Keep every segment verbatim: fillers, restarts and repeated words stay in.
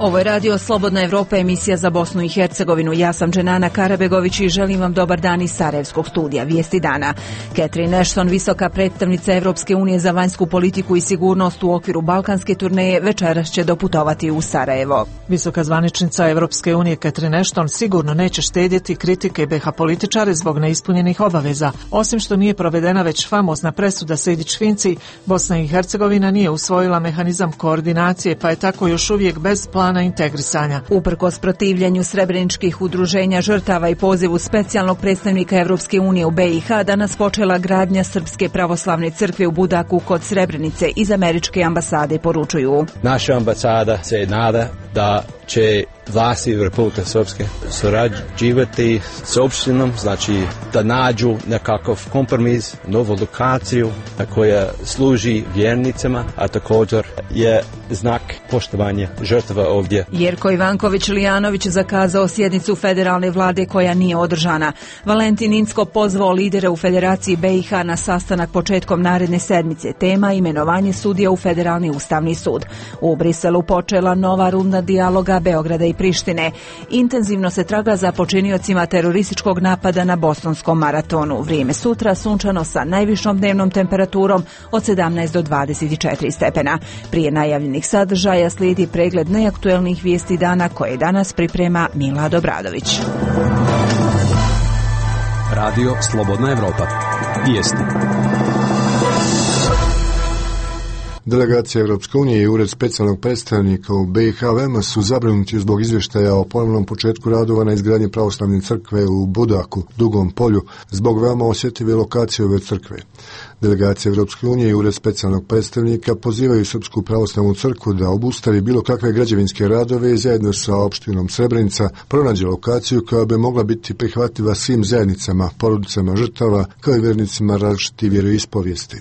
Ovo je radio Slobodna Evropa, emisija za Bosnu i Hercegovinu. Ja sam Dženana Karabegović i želim vam dobar dan iz Sarajevskog studija. Vijesti dana. Catherine Ashton, visoka predstavnica Evropske unije za vanjsku politiku i sigurnost u okviru balkanske turneje, večeras će doputovati u Sarajevo. Visoka zvaničnica Evropske unije Catherine Ashton sigurno neće štedjeti kritike be ha političare zbog neispunjenih obaveza. Osim što nije provedena već famozna presuda Sejdić-Finci, Bosna i Hercegovina nije usvojila mehanizam koordinacije, pa je tako još uvijek bez plana na integrisanja. Uprkos protivljenju srebreničkih udruženja žrtava i pozivu specijalnog predstavnika Evropske unije u be i ha, danas počela gradnja Srpske pravoslavne crkve u Budaku kod Srebrenice. Iz američke ambasade poručuju: naša ambasada se nada da će vlasti Republike Srpske surađivati s opštinom, znači da nađu nekakav kompromis, novu lokaciju koja služi vjernicima, a također je znak poštovanja žrtava ovdje. Jerko Ivanković-Lijanović zakazao sjednicu federalne vlade koja nije održana. Valentin Incko pozvao lidere u Federaciji be i ha na sastanak početkom naredne sedmice. Tema imenovanje sudija u Federalni ustavni sud. U Briselu počela nova runda dijaloga Beograda i Prištine. Intenzivno se traga za počiniocima terorističkog napada na bostonskom maratonu. Vrijeme sutra sunčano sa najvišom dnevnom temperaturom od sedamnaest do dvadeset četiri stepena. Prije najavljenih sadržaja slijedi pregled najaktuelnijih vijesti dana koje danas priprema Milad Obradović. Radio Slobodna Evropa. Vijesti. Delegacija Evropske unije i Ured specijalnog predstavnika u be i ha veoma su zabrinuti zbog izvještaja o ponovnom početku radova na izgradnji pravoslavne crkve u Budaku, Dugom polju, zbog veoma osjetljive lokacije ove crkve. Delegacija Evropske unije i Ured specijalnog predstavnika pozivaju Srpsku pravoslavnu crkvu da obustavi bilo kakve građevinske radove i zajedno sa opštinom Srebrenica pronađe lokaciju koja bi mogla biti prihvatljiva svim zajednicama, porodicama žrtava, kao i vernicima različitih vjeroispovijesti.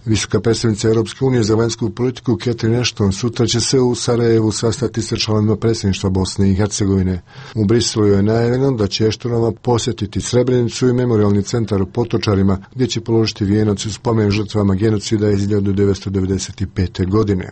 Visoka predstavnica Europske unije za vanjsku politiku Catherine Ashton sutra će se u Sarajevu sastati sa članovima predsjedništva Bosne i Hercegovine. U Briselu je najavljeno da će Ashtonova posjetiti Srebrenicu i memorijalni centar u Potočarima, gdje će položiti vijenac u spomen žrtvama genocida iz hiljadu devetsto devedeset pete. godine.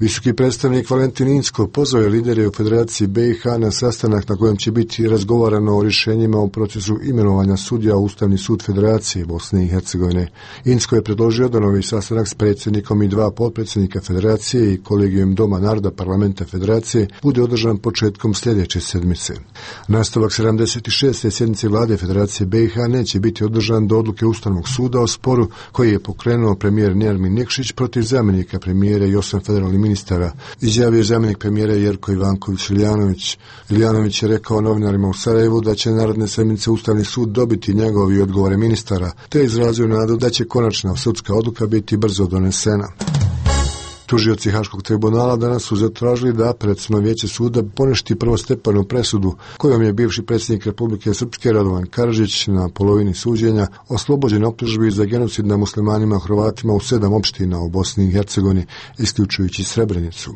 Visoki predstavnik Valentin Incko pozvao je lidere u Federaciji be i ha na sastanak na kojem će biti razgovarano o rješenjima u procesu imenovanja sudija u Ustavni sud Federacije Bosne i Hercegovine. Incko je predložio da novi sastanak s predsjednikom i dva potpredsjednika Federacije i kolegijom Doma naroda parlamenta Federacije bude održan početkom sljedeće sedmice. Nastavak sedamdeset šeste sjednice vlade Federacije be i ha neće biti održan do odluke Ustavnog suda o sporu koji je pokrenuo premijer Nermin Nikšić protiv zamjenika premijera i osam federalnih ministara, izjavio zamjenik premijera Jerko Ivanković-Lijanović. Lijanović je rekao novinarima u Sarajevu da će naredne sedmice Ustavni sud dobiti njegovi odgovore ministara, te izrazio nadu da će konačna sudska odluka biti brzo donesena. Tužioci Haškog tribunala danas su zatražili da Apelaciono vijeće suda poništi prvostepenu presudu kojom je bivši predsjednik Republike Srpske Radovan Karadžić na polovini suđenja oslobođen optužbi za genocid na muslimanima i Hrvatima u sedam opština u Bosni i Hercegovini, isključujući Srebrenicu.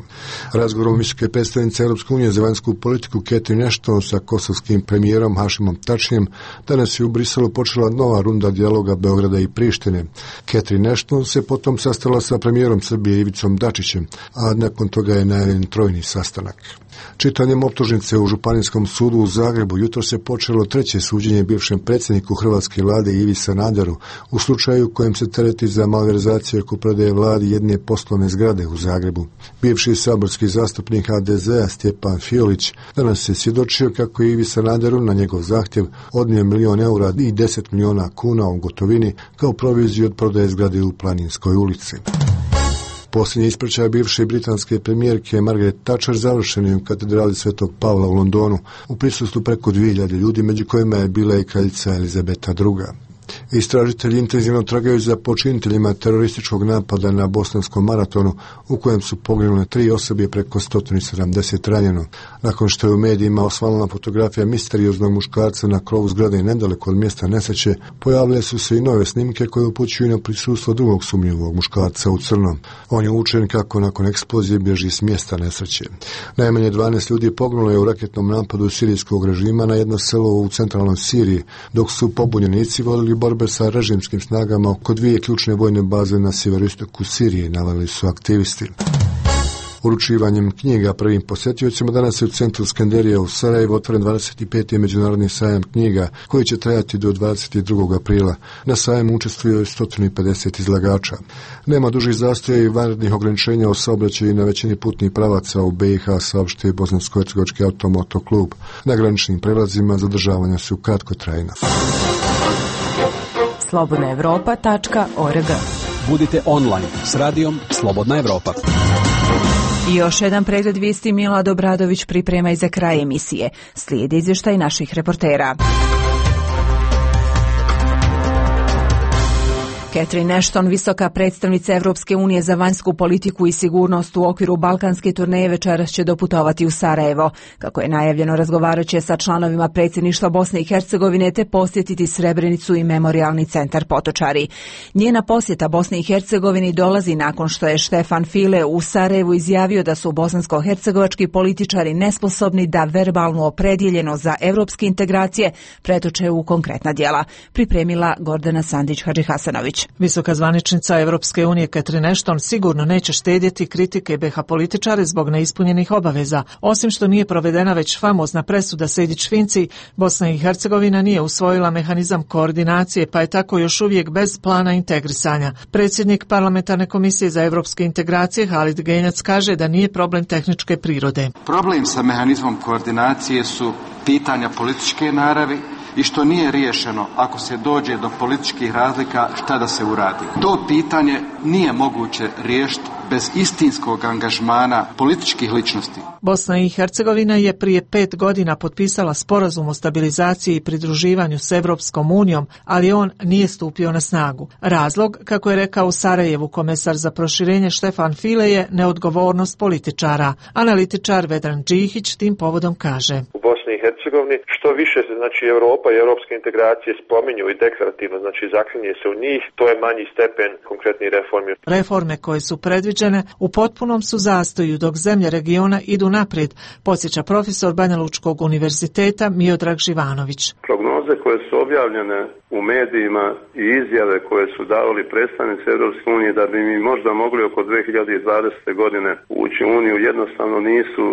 Razgovorom visoke predstavnice Europske unije za vanjsku politiku Catherine Ashton sa kosovskim premijerom Hašimom Tačijem danas je u Briselu počela nova runda dijaloga Beograda i Prištine. Catherine Ashton se potom sastala sa premijerom Srbije Ivicom Dačićem, a nakon toga je najavljen trojni sastanak. Čitanjem optužnice u Županijskom sudu u Zagrebu jutro se počelo treće suđenje bivšem predsjedniku hrvatske vlade Ivi Sanaderu u slučaju kojem se tereti za malverzaciju oko prodaje vladi jedne poslovne zgrade u Zagrebu. Bivši saborski zastupnik ha de zea Stjepan Fiolić danas se svjedočio kako je Ivi Sanaderu na njegov zahtjev odnio milion eura i deset miliona kuna u gotovini kao proviziju od prodaje zgrade u Planinskoj ulici. Posljednji ispraćaj bivše britanske premijerke Margaret Thatcher završen je u katedrali Svetog Pavla u Londonu u prisustvu preko dvije hiljade ljudi, među kojima je bila i kraljica Elizabeta druga. Istražitelji intenzivno tragaju za počiniteljima terorističkog napada na bosanskom maratonu u kojem su poginule tri osobe, preko sto sedamdeset ranjeno. Nakon što je u medijima osvanula fotografija misterioznog muškarca na krovu zgrade nedaleko od mjesta nesreće, pojavile su se i nove snimke koje upućuju na prisustvo drugog sumnjivog muškarca u crnom. On je učen kako nakon eksplozije bježi s mjesta nesreće. Najmanje dvanaest ljudi poginulo je u raketnom napadu sirijskog režima na jedno selo u centralnoj Siriji, dok su pobunjenici vodili borbe sa režimskim snagama oko dvije ključne vojne baze na sjeveroistoku Sirije, naveli su aktivisti. Uručivanjem knjiga prvim posjetiocima danas je u centru Skenderija u Sarajevu otvoren dvadeset peti međunarodni sajam knjiga koji će trajati do dvadeset drugog aprila. Na sajmu učestvuje sto pedeset izlagača. Nema dužih zastoja i vanrednih ograničenja o saobraćaju na većini putnih pravaca u B i H, saopštio Bosansko-hercegovački automoto klub. Na graničnim prelazima zadržavanja su kratkotrajna. slobodna evropa tačka org. Budite online s radijom Slobodna Evropa. I još jedan pregled vijesti Milad Obradović priprema i za kraj emisije. Slijedi izvještaj naših reportera. Catherine Ashton, visoka predstavnica Evropske unije za vanjsku politiku i sigurnost u okviru balkanske turneje, večeras će doputovati u Sarajevo. Kako je najavljeno, razgovarat će sa članovima predsjedništva Bosne i Hercegovine te posjetiti Srebrenicu i memorijalni centar Potočari. Njena posjeta Bosni i Hercegovini dolazi nakon što je Štefan File u Sarajevu izjavio da su bosansko-hercegovački političari nesposobni da verbalnu opredjeljeno za evropske integracije pretoče u konkretna djela. Pripremila Gordana Sandić-Hadžihasanović. Visoka zvaničnica Evropske unije Catherine Ashton sigurno neće štedjeti kritike B H političare zbog neispunjenih obaveza. Osim što nije provedena već famozna presuda Sejdić-Finci, Bosna i Hercegovina nije usvojila mehanizam koordinacije, pa je tako još uvijek bez plana integrisanja. Predsjednik Parlamentarne komisije za evropske integracije Halid Genjac kaže da nije problem tehničke prirode. Problem sa mehanizmom koordinacije su pitanja političke naravi i što nije riješeno ako se dođe do političkih razlika šta da se uradi. To pitanje nije moguće riješiti bez istinskog angažmana političkih ličnosti. Bosna i Hercegovina je prije pet godina potpisala sporazum o stabilizaciji i pridruživanju s Evropskom unijom, ali on nije stupio na snagu. Razlog, kako je rekao u Sarajevu komesar za proširenje Štefan File, je neodgovornost političara. Analitičar Vedran Džihić tim povodom kaže: U Bosni i Hercegovini što više se znači Europa i europske integracije spominju i deklarativno znači zaklinje se u njih, to je manji stepen konkretnih reformi. Reforme koje su predviđene u potpunom su zastoju dok zemlje regiona idu naprijed, podsjeća profesor Banja Lučkog univerziteta Miodrag Živanović. Prognoze koje su objavljene u medijima i izjave koje su davali predstavnici Europske unije da bi mi možda mogli oko dvije hiljade dvadesete godine ući u Uniju jednostavno nisu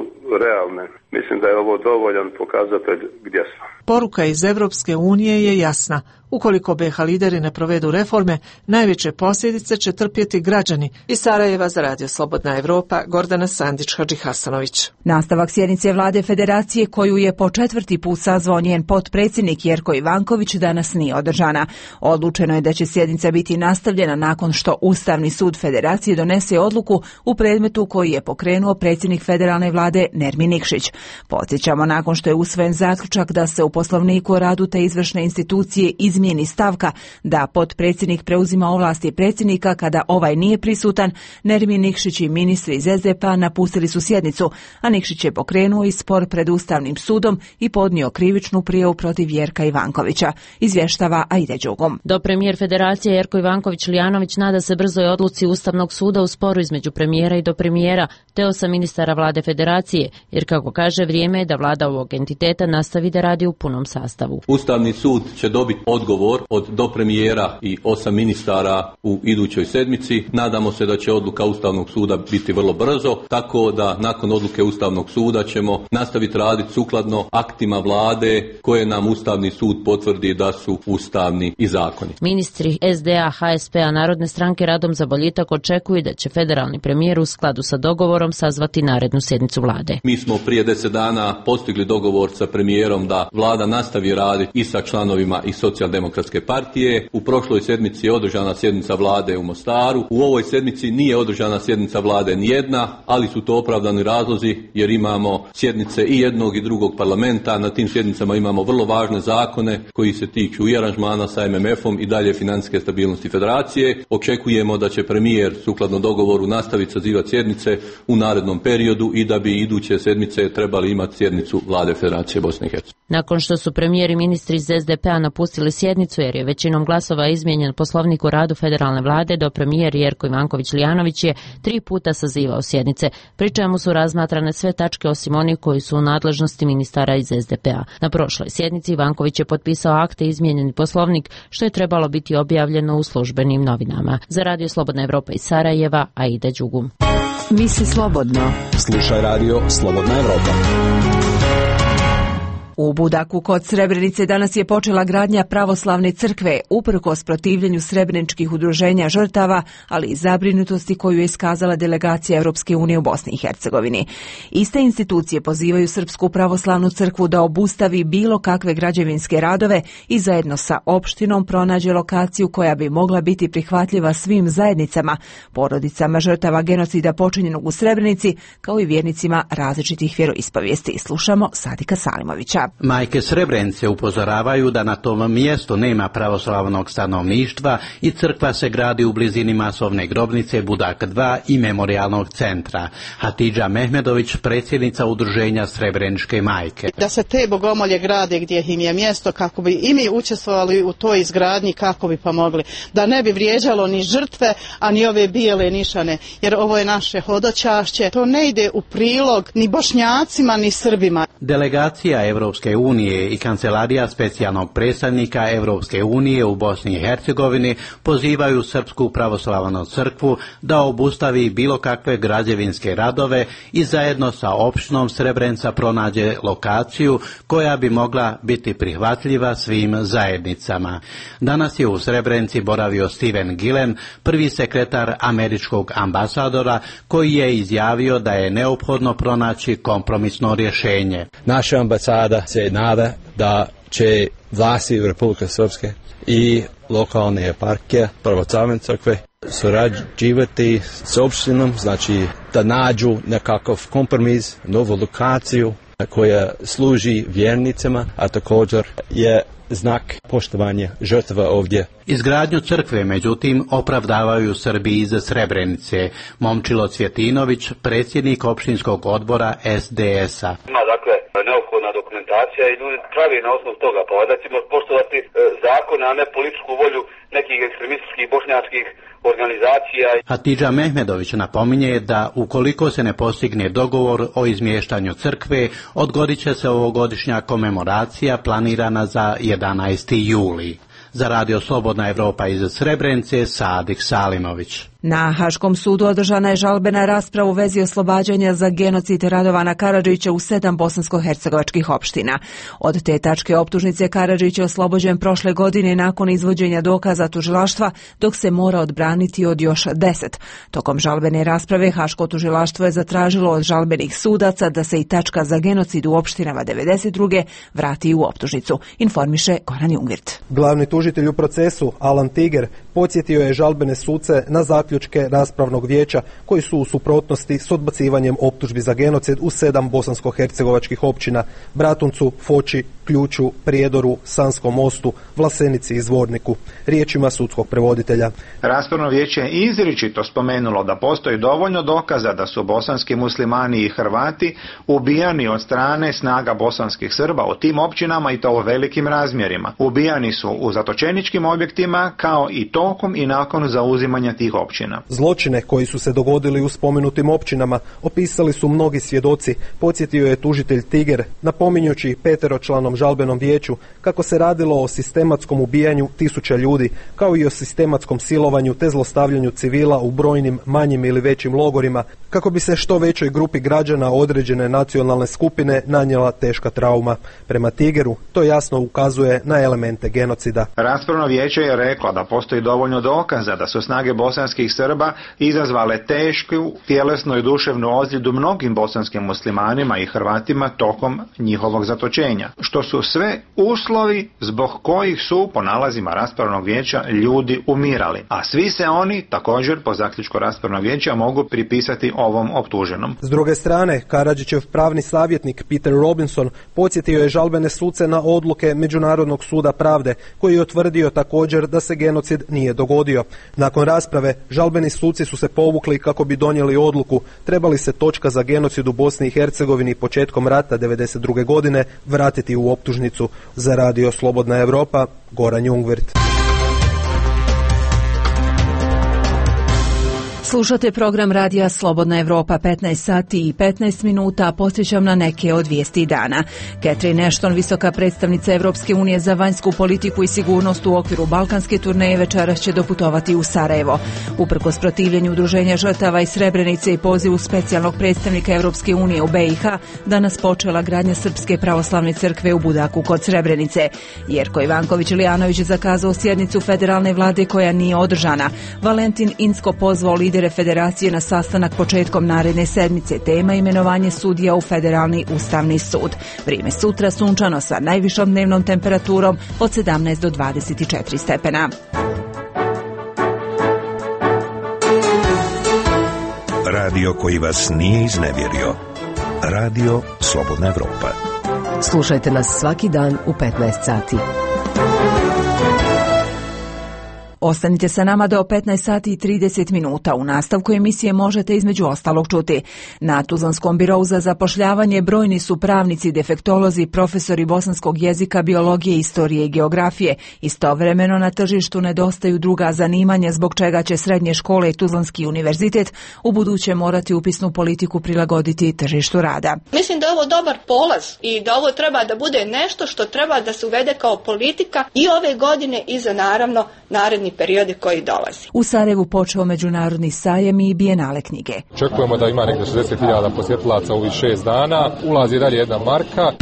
realne. Mislim da je ovo dovoljan pokazatelj gdje smo. Poruka iz Evropske unije je jasna. Ukoliko B H lideri ne provedu reforme, najveće posljedice će trpjeti građani. Iz Sarajeva za Radio Slobodna Evropa, Gordana Sandić-Hadžihasanović. Nastavak sjednice vlade federacije koju je po četvrti put sazvao njen potpredsjednik Jerko Ivanković danas nije održana. Odlučeno je da će sjednica biti nastavljena nakon što Ustavni sud federacije donese odluku u predmetu koji je pokrenuo predsjednik federalne vlade Nermin Nikšić. Podsjećamo, nakon što je usvojen zaključak da se u Poslovniku o radu te izvršne institucije izmijeni stavka da potpredsjednik preuzima ovlasti predsjednika kada ovaj nije prisutan, Nermin Nikšić i ministri iz S D P-a napustili su sjednicu, a Nikšić je pokrenuo i spor pred Ustavnim sudom i podnio krivičnu prijavu protiv Jerka Ivankovića, izvještava Aida Đugom. Do premijer federacije Jerko Ivanković-Lijanović nada se brzoj odluci Ustavnog suda u sporu između premijera i do premijera, te osam ministara vlade federacije, jer kako kaže, vrijeme je da vlada ovog entiteta nastavi da radi u punom sastavu. Ustavni sud će dobiti odgovor od dopremijera i osam ministara u idućoj sedmici. Nadamo se da će odluka Ustavnog suda biti vrlo brzo, tako da nakon odluke Ustavnog suda ćemo nastaviti raditi sukladno aktima vlade koje nam Ustavni sud potvrdi da su ustavni i zakoni. Ministri S D A, H S P-a, Narodne stranke Radom za boljitak očekuju da će federalni premijer u skladu sa dogovorom sazvati narednu sjednicu vlade. Mi smo prije deset dana postigli dogovor sa premijerom da vlada nastavi raditi i sa članovima i Socijaldemokratske partije. U prošloj sedmici je održana sjednica vlade u Mostaru. U ovoj sedmici nije održana sjednica vlade nijedna, ali su to opravdani razlozi jer imamo sjednice i jednog i drugog parlamenta. Na tim sjednicama imamo vrlo važne zakone koji se tiču i aranžmana sa M M F-om i dalje financijske stabilnosti federacije. Očekujemo da će premijer sukladno dogovoru nastaviti sazivati sjednice u narednom periodu i da bi iduće sedmice trebali imati sjednicu vlade Federacije Bosne i Hercegovine. Nakon što su premijer i ministri iz S D P-a napustili sjednicu jer je većinom glasova izmijenjen Poslovnik o radu federalne vlade, do premijer Jerko Ivanković-Lijanović je tri puta sazivao sjednice, pri čemu su razmatrane sve tačke osim oni koji su u nadležnosti ministara iz es de pe a. Na prošloj sjednici Ivanković je potpisao akte i izmijenjeni poslovnik, što je trebalo biti objavljeno u službenim novinama. Za Radio Slobodna Evropa iz Sarajeva, Aida Đugum. Misli slobodno. Slušaj Radio Slobodna Evropa. U Budaku kod Srebrenice danas je počela gradnja pravoslavne crkve, uprkos protivljenju srebreničkih udruženja žrtava, ali i zabrinutosti koju je iskazala delegacija Europske unije u Bosni i Hercegovini. Iste institucije pozivaju Srpsku pravoslavnu crkvu da obustavi bilo kakve građevinske radove i zajedno sa opštinom pronađe lokaciju koja bi mogla biti prihvatljiva svim zajednicama, porodicama žrtava genocida počinjenog u Srebrenici, kao i vjernicima različitih vjeroispovijesti. Slušamo Sadika Salimovića. Majke Srebrenice upozoravaju da na tom mjestu nema pravoslavnog stanovništva i crkva se gradi u blizini masovne grobnice Budak dva i memorijalnog centra. Hatidža Mehmedović, predsjednica udruženja Srebreničke majke. Da se te bogomolje grade gdje im je mjesto, kako bi i mi učestvovali u toj izgradnji, kako bi pomogli. Da ne bi vrijeđalo ni žrtve, a ni ove bijele nišane, jer ovo je naše hodočašće. To ne ide u prilog ni Bošnjacima, ni Srbima. Delegacija Evropske unije i kancelarija specijalnog predstavnika Evropske unije u Bosni i Hercegovini pozivaju Srpsku pravoslavnu crkvu da obustavi bilo kakve građevinske radove i zajedno sa opštinom Srebrenica pronađe lokaciju koja bi mogla biti prihvatljiva svim zajednicama. Danas je u Srebrenici boravio Steven Gillen, prvi sekretar američkog ambasadora, koji je izjavio da je neophodno pronaći kompromisno rješenje. Naša ambasada se nada da će vlasti Republike Srpske i lokalne eparhije pravoslavne crkve surađivati s opštinom, znači da nađu nekakav kompromis, novu lokaciju koja služi vjernicima, a također je znak poštovanja žrtva ovdje. Izgradnju crkve, međutim, opravdavaju Srbi iz Srebrenice. Momčilo Cvjetinović, predsjednik opštinskog odbora es de es a. Ima dakle neophodna dokumentacija i ljudi pravi na osnovu toga, pa da ćemo poštovati e, zakone, a ne političku volju nekih ekstremističkih bošnjačkih organizacija. Hatidža Mehmedović napominje da ukoliko se ne postigne dogovor o izmještanju crkve, odgodit će se ovogodišnja komemoracija planirana za jedanaesti juli. Za Radio Slobodna Evropa iz Srebrenice, Sadik Salimović. Na Haškom sudu održana je žalbena rasprava u vezi oslobađanja za genocid Radovana Karadžića u sedam bosansko-hercegovačkih opština. Od te tačke optužnice Karadžić je oslobođen prošle godine nakon izvođenja dokaza tužilaštva, dok se mora odbraniti od još deset. Tokom žalbene rasprave Haško tužilaštvo je zatražilo od žalbenih sudaca da se i tačka za genocid u opštinama devedeset druge vrati u optužnicu, informiše Goran Jungvirt. Glavni tužitelj u procesu, Alan Tiger, podsjetio je žalbene suce na zaključke raspravnog vijeća koji su u suprotnosti s odbacivanjem optužbi za genocid u sedam bosansko-hercegovačkih općina: Bratuncu, Foči, Ključu, Prijedoru, Sanskom Mostu, Vlasenici i Zvorniku. Riječima sudskog prevoditelja. Raspravno vijeće je izričito spomenulo da postoji dovoljno dokaza da su bosanski muslimani i Hrvati ubijani od strane snaga bosanskih Srba u tim općinama, i to u velikim razmjerima. Ubijani su u zatočeničkim objektima, kao i tokom i nakon zauzimanja tih općina. Zločine koji su se dogodili u spomenutim općinama opisali su mnogi svjedoci, podsjetio je tužitelj Tiger, napominjući peteročlanom žalbenom vijeću kako se radilo o sistematskom ubijanju tisuća ljudi, kao i o sistematskom silovanju te zlostavljanju civila u brojnim manjim ili većim logorima, kako bi se što većoj grupi građana određene nacionalne skupine nanijela teška trauma. Prema Tigeru to jasno ukazuje na elemente genocida. Raspravno vijeće je reklo da postoji dovoljno dokaza da su snage bosanskih Srba izazvale tešku tjelesnu i duševnu ozljedu mnogim bosanskim muslimanima i Hrvatima tokom njihovog zatočenja, što su sve uslovi zbog kojih su, po nalazima raspravnog vijeća, ljudi umirali. A svi se oni, također po zaključku raspravnog vijeća, mogu pripisati ovom optuženom. S druge strane, Karadžićev pravni savjetnik Peter Robinson podsjetio je žalbene suce na odluke Međunarodnog suda pravde, koji je utvrdio također da se genocid nije dogodio. Nakon rasprave, žalbeni suci su se povukli kako bi donijeli odluku treba li se točka za genocid u Bosni i Hercegovini početkom rata devedeset druge godine vratiti u optužnicu. Za Radio Slobodna Evropa, Goran Jungvirt. Slušate program radija Slobodna Evropa, petnaest sati i petnaest minuta, posjećam na neke od vijesti dana. Catherine Ashton, visoka predstavnica Evropske unije za vanjsku politiku i sigurnost u okviru balkanske turneje, večeras će doputovati u Sarajevo. Uprkos protivljenju udruženja žrtava iz Srebrenice i pozivu specijalnog predstavnika Evropske unije u B i H, danas počela gradnja Srpske pravoslavne crkve u Budaku kod Srebrenice. Jerko Ivanković-Ilijanović je zakazao sjednicu federalne vlade koja nije održana. Valentin Incko pozvao lidere federacije na sastanak početkom naredne sedmice. Tema imenovanje sudija u Federalni ustavni sud. Vrijeme sutra sunčano sa najvišom dnevnom temperaturom od sedamnaest do dvadeset četiri stepena. Radio koji vas nije iznevjerio. Radio Slobodna Evropa. Slušajte nas svaki dan u petnaest sati. Ostanite sa nama do petnaest sati i trideset minuta. U nastavku emisije možete između ostalog čuti. Na Tuzlanskom birou za zapošljavanje brojni su pravnici, defektolozi, profesori bosanskog jezika, biologije, istorije i geografije. Istovremeno na tržištu nedostaju druga zanimanja, zbog čega će srednje škole i Tuzlanski univerzitet u buduće morati upisnu politiku prilagoditi tržištu rada. Mislim da je ovo dobar polaz i da ovo treba da bude nešto što treba da se uvede kao politika i ove godine i za naravno naredni periodi koji dolazi. U Sarajevu počeo međunarodni sajam i bijenale knjige. Očekujemo da ima nekde šezdeset hiljada posjetilaca u ovih šest dana. Ulazi dalje jedna marka.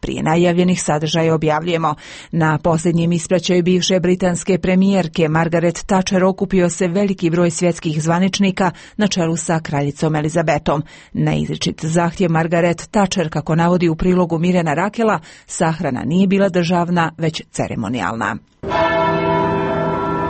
Prije najavljenih sadržaja objavljujemo. Na posljednjem ispraćaju bivše britanske premijerke Margaret Thatcher okupio se veliki broj svjetskih zvaničnika na čelu sa kraljicom Elizabetom. Na izričit zahtjev Margaret Thatcher, kako navodi u prilogu Mirjana Rakela, sahrana nije bila državna, već ceremonijalna.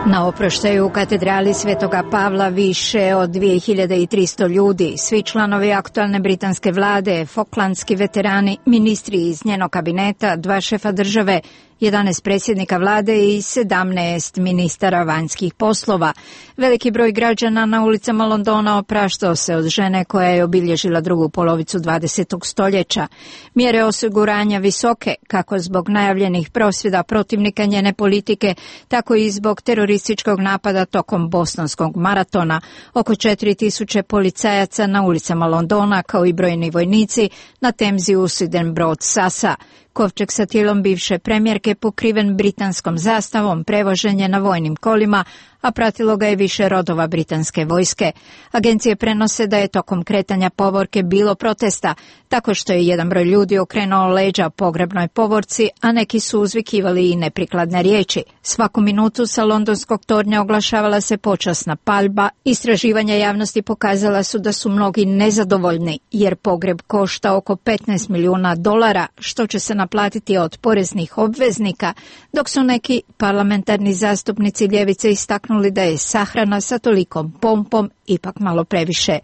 Na oproštaju u katedrali Svetoga Pavla više od dvije hiljade tristo ljudi, svi članovi aktualne britanske vlade, foklandski veterani, ministri iz njenog kabineta, dva šefa države, jedanaest predsjednika vlade i sedamnaest ministara vanjskih poslova. Veliki broj građana na ulicama Londona opraštao se od žene koja je obilježila drugu polovicu dvadesetog stoljeća. Mjere osiguranja visoke, kako zbog najavljenih prosvjeda protivnika njene politike, tako i zbog terorističkog napada tokom Bostonskog maratona. Oko četiri tisuće policajaca na ulicama Londona, kao i brojni vojnici na Temzi usiden brod Sasa. Kovčeg sa tijelom bivše premijerke pokriven britanskom zastavom prevožen je na vojnim kolima, a pratilo ga je više rodova britanske vojske. Agencije prenose da je tokom kretanja povorke bilo protesta, tako što je jedan broj ljudi okrenuo leđa pogrebnoj povorci, a neki su uzvikivali i neprikladne riječi. Svaku minutu sa londonskog tornja oglašavala se počasna paljba. Istraživanja javnosti pokazala su da su mnogi nezadovoljni, jer pogreb košta oko petnaest milijuna dolara, što će se naplatiti od poreznih obveznika, dok su neki parlamentarni zastupnici ljevice istaknuli da je sahrana sa tolikom pompom ipak malo previše.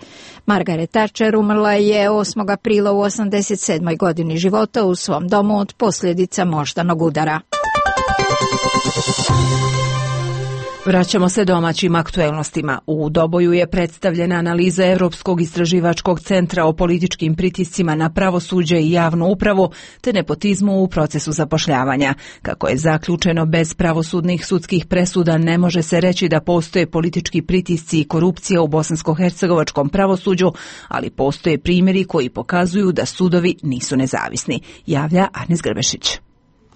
Margaret Thatcher umrla je osmog aprila u osamdeset sedmoj godini života u svom domu od posljedica moždanog udara. Vraćamo se domaćim aktuelnostima. U Doboju je predstavljena analiza Europskog istraživačkog centra o političkim pritiscima na pravosuđe i javnu upravu te nepotizmu u procesu zapošljavanja. Kako je zaključeno, bez pravosudnih sudskih presuda ne može se reći da postoje politički pritisci i korupcija u bosansko-hercegovačkom pravosuđu, ali postoje primjeri koji pokazuju da sudovi nisu nezavisni, javlja Arnis Grbešić.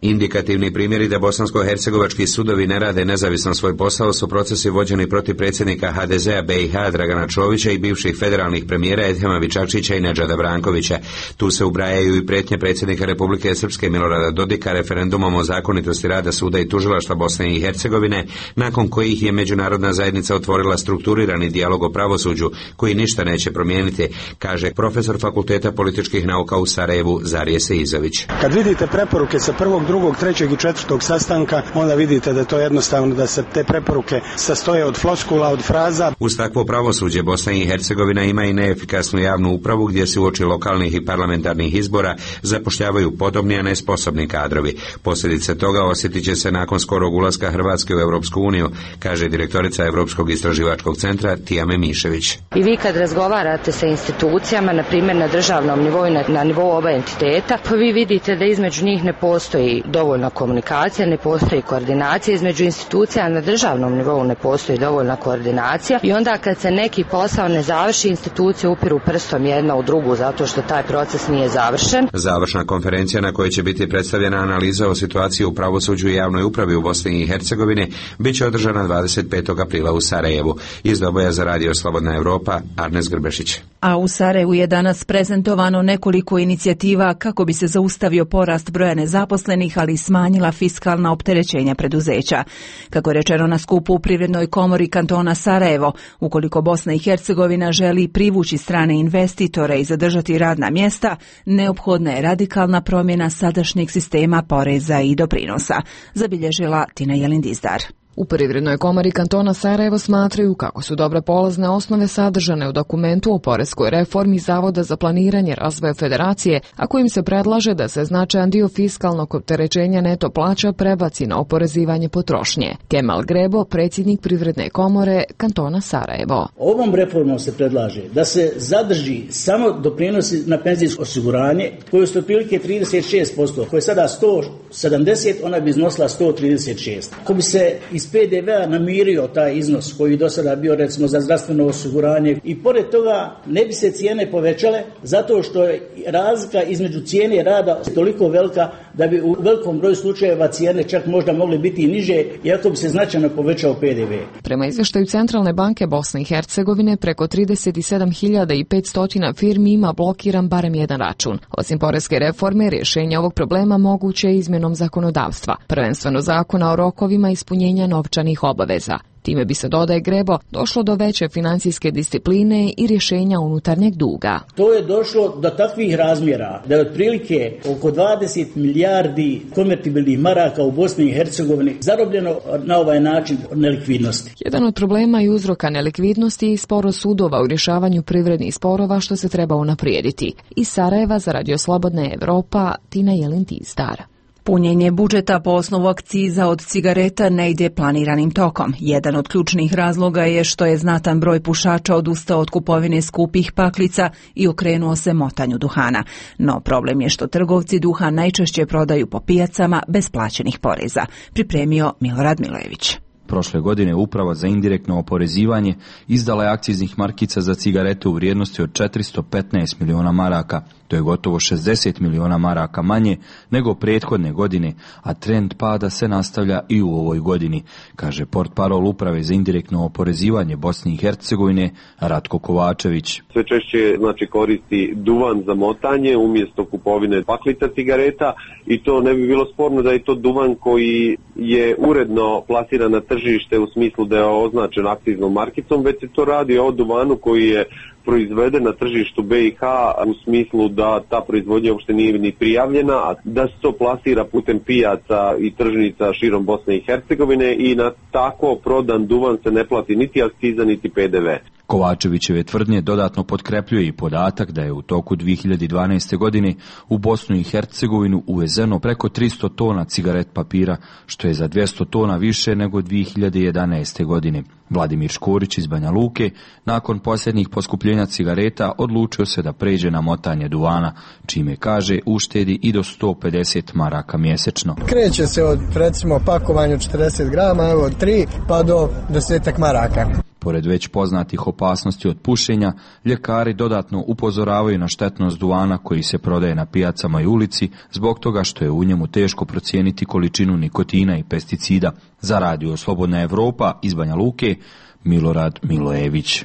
Indikativni primjeri da bosansko-hercegovački sudovi ne rade nezavisno svoj posao su procesi vođeni protiv predsjednika ha de zea be i ha Dragana Čovića i bivših federalnih premijera Edhema Čačića i Nedžada Brankovića. Tu se ubrajaju i prijetnje predsjednika Republike Srpske Milorada Dodika referendumom o zakonitosti rada suda i tužilaštva Bosne i Hercegovine, nakon kojih je međunarodna zajednica otvorila strukturirani dijalog o pravosuđu koji ništa neće promijeniti, kaže profesor Fakulteta političkih nauka u Sarajevu Zarije Seizović. Kad vidite preporuke sa prvog, drugog, trećeg i četvrtog sastanka, onda vidite da to jednostavno da se te preporuke sastoje od floskula, od fraza. Uz takvo pravosuđe Bosna i Hercegovina ima i neefikasnu javnu upravu gdje se uoči lokalnih i parlamentarnih izbora zapošljavaju podobni, a nesposobni kadrovi. Posljedice toga osjetit će se nakon skorog ulaska Hrvatske u Europsku uniju, kaže direktorica Europskog istraživačkog centra Tijame Mišević. I vi kad razgovarate sa institucijama, na primjer na državnom nivou i na, na nivou oba entiteta, pa vi vidite da između njih ne postoji dovoljna komunikacija, ne postoji koordinacija između institucija, na državnom nivou ne postoji dovoljna koordinacija i onda kad se neki posao ne završi, institucije upiru prstom jedna u drugu zato što taj proces nije završen. Završna konferencija na kojoj će biti predstavljena analiza o situaciji u pravosuđu i javnoj upravi u Bosni i Hercegovini bit će održana dvadeset petog aprila u Sarajevu. Iz Doboja za Radio Slobodna Evropa, Arnes Grbešić. A u Sarajevu je danas prezentovano nekoliko inicijativa kako bi se zaustavio porast broja nezaposlenih, ali i smanjila fiskalna opterećenja preduzeća. Kako je rečeno na skupu u Privrednoj komori kantona Sarajevo, ukoliko Bosna i Hercegovina želi privući strane investitore i zadržati radna mjesta, neophodna je radikalna promjena sadašnjeg sistema poreza i doprinosa, zabilježila Tina Jelindizdar. U Privrednoj komori kantona Sarajevo smatraju kako su dobre polazne osnove sadržane u dokumentu o poreskoj reformi Zavoda za planiranje razvoja federacije, a kojim se predlaže da se značajan dio fiskalnog opterećenja neto plaća prebaci na oporezivanje potrošnje. Kemal Grebo, predsjednik Privredne komore kantona Sarajevo. Ovom reformom se predlaže da se zadrži samo doprinosi na penzijsko osiguranje, koje su otprilike trideset šest posto, koje je sada sto sedamdeset, ona bi iznosila sto trideset šest. Ako bi se iz P D V-a namirio taj iznos koji do sada bio recimo za zdravstveno osiguranje i pored toga ne bi se cijene povećale zato što je razlika između cijene rada toliko velika da bi u velikom broju slučajeva cijene čak možda mogle biti i niže iako bi se značajno povećao P D V. Prema izvještaju Centralne banke Bosne i Hercegovine, preko trideset sedam hiljada petsto firmi ima blokiran barem jedan račun. Osim poreske reforme, rješenje ovog problema moguće je izmjenom zakonodavstva, prvenstveno zakona o rokovima ispunjenja novčanih obaveza. Time bi se, dodaje Grebo, došlo do veće financijske discipline i rješenja unutarnjeg duga. To je došlo do takvih razmjera da je otprilike oko dvadeset milijardi konvertibilnih maraka u Bosni i Hercegovini zarobljeno na ovaj način nelikvidnosti. Jedan od problema i uzroka nelikvidnosti je sporo sudova u rješavanju privrednih sporova što se treba unaprijediti. Iz Sarajeva za Radio Slobodna Evropa, Tina Jelindizdar. Punjenje budžeta po osnovu akciza od cigareta ne ide planiranim tokom. Jedan od ključnih razloga je što je znatan broj pušača odustao od kupovine skupih paklica i okrenuo se motanju duhana. No problem je što trgovci duhan najčešće prodaju po pijacama bez plaćenih poreza, pripremio Milorad Milojević. Prošle godine Uprava za indirektno oporezivanje izdala je akciznih markica za cigarete u vrijednosti od četiristo petnaest miliona maraka. To je gotovo šezdeset miliona maraka manje nego prethodne godine, a trend pada se nastavlja i u ovoj godini, kaže portparol Uprave za indirektno oporezivanje Bosne i Hercegovine Ratko Kovačević. Sve češće znači koristi duvan za motanje umjesto kupovine paklica cigareta i to ne bi bilo sporno da je to duvan koji je uredno plasiran na tržište u smislu da je označen akciznom markicom, već se to radi o duvanu koji je proizveden na tržištu B i H u smislu da ta proizvodnja uopšte nije ni prijavljena, a da se to plasira putem pijaca i tržnica širom Bosne i Hercegovine i na tako prodan duvan se ne plati niti akciza niti P D V. Kovačevićeve tvrdnje dodatno potkrepljuje i podatak da je u toku dvije hiljade dvanaeste. godine u Bosnu i Hercegovinu uvezeno preko tristo tona cigaret papira, što je za dvjesto tona više nego dvije hiljade jedanaeste. godine. Vladimir Škorić iz Banja Luke, nakon posljednjih poskupljenja cigareta, odlučio se da pređe na motanje duvana, čime, kaže, uštedi i do sto pedeset maraka mjesečno. Kreće se od, recimo, pakovanju četrdeset grama, evo, od tri pa do desetak maraka. Pored već poznatih opasnosti od pušenja, ljekari dodatno upozoravaju na štetnost duvana koji se prodaje na pijacama i ulici zbog toga što je u njemu teško procijeniti količinu nikotina i pesticida. Za Radio Slobodna Evropa iz Banja Luke, Milorad Milojević.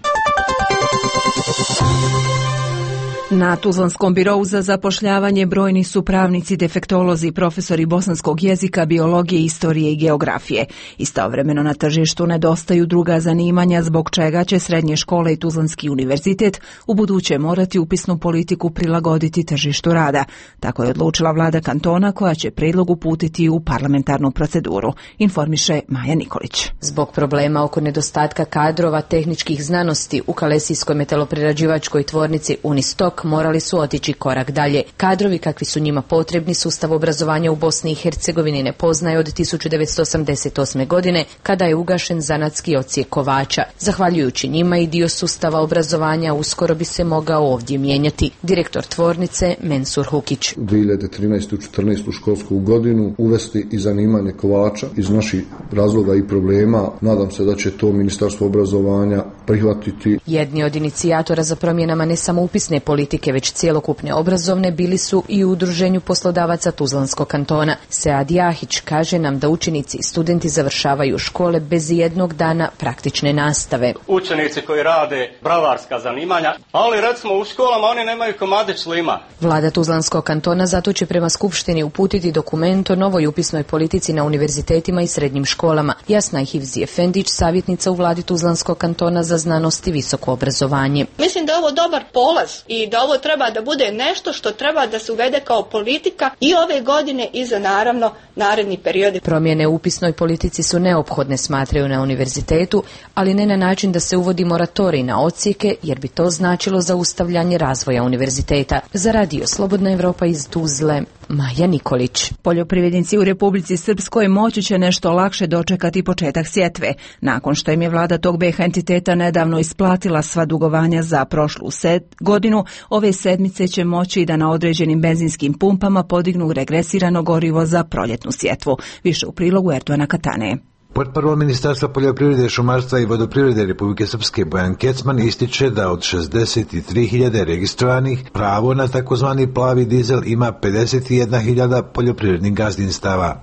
Na Tuzlanskom birou za zapošljavanje brojni su pravnici, defektolozi, profesori bosanskog jezika, biologije, istorije i geografije. Istovremeno na tržištu nedostaju druga zanimanja zbog čega će srednje škole i Tuzlanski univerzitet u buduće morati upisnu politiku prilagoditi tržištu rada. Tako je odlučila vlada kantona koja će prijedlog uputiti u parlamentarnu proceduru, informiše Maja Nikolić. Zbog problema oko nedostatka kadrova tehničkih znanosti u Kalesijskoj metaloprerađivačkoj tvornici Unistok, ipak morali su otići korak dalje. Kadrovi kakvi su njima potrebni sustav obrazovanja u Bosni i Hercegovini ne poznaje od tisuću devetsto osamdeset osme. godine kada je ugašen zanatski odsjek kovača. Zahvaljujući njima i dio sustava obrazovanja uskoro bi se mogao ovdje mijenjati. Direktor tvornice Mensur Hukić. dvije hiljade trinaeste četrnaeste školsku godinu uvesti i zanimanje kovača iz naših razloga i problema. Nadam se da će to Ministarstvo obrazovanja prihvatiti. Jedni od inicijatora za promjenama ne samo upisne politike, već cjelokupne obrazovne bili su i u Udruženju poslodavaca Tuzlanskog kantona. Sead Jahić kaže nam da učenici i studenti završavaju škole bez jednog dana praktične nastave. Učenici koji rade bravarska zanimanja, ali recimo u školama oni nemaju komadić lima. Vlada Tuzlanskog kantona zato će prema Skupštini uputiti dokument o novoj upisnoj politici na univerzitetima i srednjim školama. Jasna Hivzi Efendić, savjetnica u vladi Tuzlanskog kantona za znanost i visoko obrazovanje. Mislim da je ovo dobar polaz i da ovo treba da bude nešto što treba da se uvede kao politika i ove godine i za naravno naredni periodi. Promjene u upisnoj politici su neophodne, smatraju na univerzitetu, ali ne na način da se uvodi moratorij na odsjeke, jer bi to značilo zaustavljanje razvoja univerziteta. Za Radio Slobodna Evropa iz Tuzle, Maja Nikolić. Poljoprivrednici u Republici Srpskoj moći će nešto lakše dočekati početak sjetve. Nakon što im je vlada tog B iH entiteta nedavno isplatila sva dugovanja za prošlu sed godinu, ove sedmice će moći da na određenim benzinskim pumpama podignu regresirano gorivo za proljetnu sjetvu. Više u prilogu Erdoana Katane. Portparol Ministarstva poljoprivrede, šumarstva i vodoprivrede Republike Srpske Bojan Kecman ističe da od šezdeset tri hiljade registrovanih pravo na takozvani plavi dizel ima pedeset jedna hiljada poljoprivrednih gazdinstava.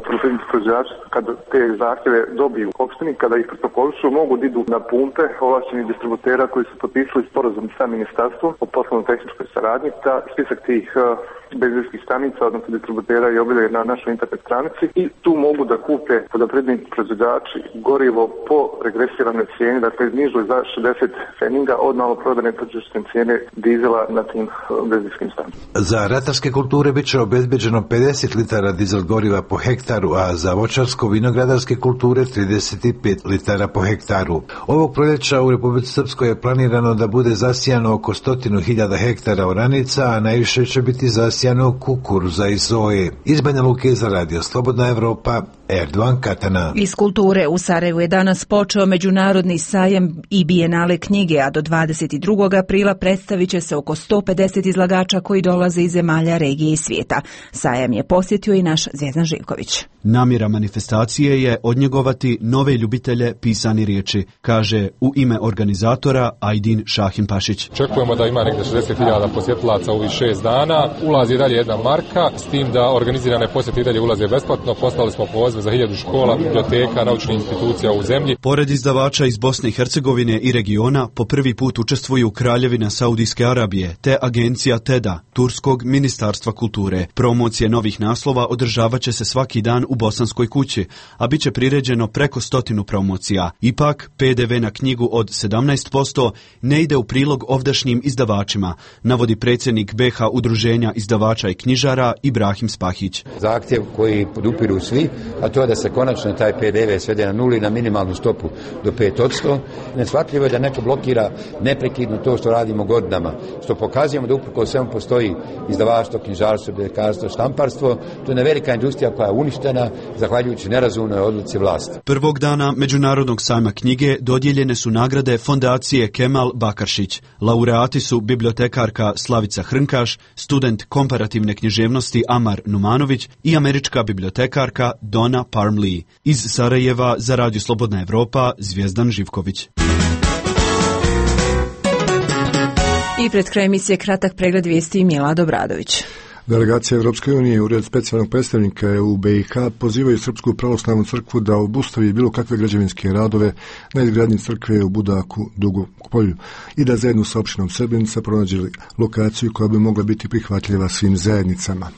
Kada te zahtjeve dobiju opštini, kada ih protokolišu, mogu da idu na pumpe ovlašćenih distributera koji su potpisali sporazum sa ministarstvom o poslovno-tehničkoj saradnji. Ta spisak tih uh, benzinskih stanica, odnosno distributera, je objavljen na našoj internet stranici i tu mogu da kupe poljoprivredni proizvođači gorivo po regresiranoj cijeni, dakle iznižu za šezdeset feninga od maloprodajne tržišne cijene dizela na tim uh, benzinskim stanicama. Za ratarske kulture bit će obezbeđeno pedeset litara dizel goriva po hektaru, a za voćarsko-vinogradarske kulture trideset pet litara po hektaru. Ovog proljeća u Republici Srpskoj je planirano da bude zasijano oko stotinu hiljada hektara oranica, a najviše će biti zasijano kukuruza i soje. Iz Banja Luke za Radio Slobodna Evropa, Erdoan Katana. Iz kulture u Sarajevu je danas počeo međunarodni sajam i bijenale knjige, a do dvadeset drugog aprila predstavit će se oko sto pedeset izlagača koji dolaze iz zemalja, regije i svijeta. Sajam je posjetio i naš Zvjezdan Živković. Namjera manifestacije je odnjegovati nove ljubitelje pisane riječi, kaže u ime organizatora Ajdin Šahim Pašić. Očekujemo da ima negdje šezdeset hiljada posjetilaca u ovih šest dana. Ulazi dalje jedna marka, s tim da organizirane posjete i dalje ulaze besplatno. Poslali smo poziv za hiljadu škola, biblioteka, naučnih institucija u zemlji. Pored izdavača iz Bosne i Hercegovine i regiona, po prvi put učestvuju Kraljevina Saudijske Arabije te agencija TEDA, Turskog ministarstva kulture. Promocije novih naslova održavat će se svaki dan u Bosanskoj kući, a bit će priređeno preko stotinu promocija. Ipak, P D V na knjigu od sedamnaest posto ne ide u prilog ovdašnjim izdavačima, navodi predsjednik B iH Udruženja izdavača i knjižara Ibrahim Spahić. Zahtjev koji podupiru svi, a to je da se konačno taj P D V svede na nuli, na minimalnu stopu do pet posto. Neshvatljivo je da neko blokira neprekidno to što radimo godinama, što pokazujemo da uprkos svemu postoji izdavaštvo, knjižarstvo, bibliotekarstvo, štamparstvo. To je velika industrija koja je uništena zahvaljujući nerazumnoj odluci vlasti. Prvog dana Međunarodnog sajma knjige dodijeljene su nagrade fondacije Kemal Bakaršić. Laureati su bibliotekarka Slavica Hrnkaš, student komparativne književnosti Amar Numanović i američka bibliotekarka Donna Parmley. Iz Sarajeva za Radio Slobodna Evropa, Zvjezdan Živković. I pred kraj emisije kratak pregled vijesti Milad Obradović. Delegacija Evropske unije i Ured specijalnog predstavnika u B iH pozivaju Srpsku pravoslavnu crkvu da obustavi bilo kakve građevinske radove na izgradnji crkve u Budaku, Dugopolju i da zajedno sa opštinom Srbenica pronađe lokaciju koja bi mogla biti prihvatljiva svim zajednicama.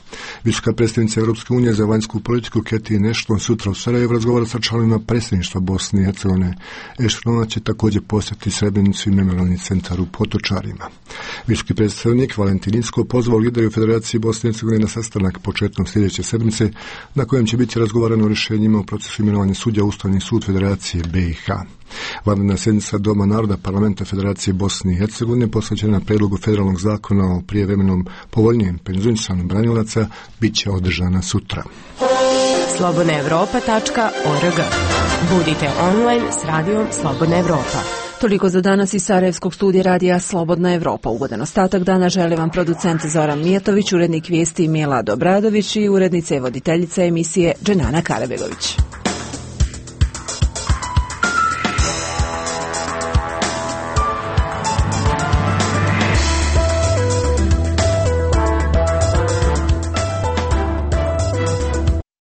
Visoka predstavnica Evropske unije za vanjsku politiku Catherine Ashton sutra u Sarajevu razgovara sa članovima predsjedništva Bosne i Hercegovine. Ashtonova će također posjetiti Srebrenicu i memorijalni centar u Potočarima. Visoki predstavnik Valentin Inzko pozvao lideri u Federaciji Bosne Bosne i Hercegovine na sastanak početkom sljedeće sedmice na kojem će biti razgovarano o rješenjima u procesu imenovanja sudija u Ustavni sud Federacije B i H. Vanredna sjednica Doma naroda Parlamenta Federacije Bosne i Hercegovine posvećena predlogu federalnog zakona o prijevremenom povoljnijem penzionisanju branilaca bit će održana sutra. slobodna evropa tačka org. Budite online s radijom Slobodna Evropa. Toliko za danas iz Sarajevskog studija radija Slobodna Evropa. Ugodan ostatak dana žele vam producent Zoran Mijatović, urednik vijesti Milad Obradović i urednica i voditeljica emisije Dženana Karabegović.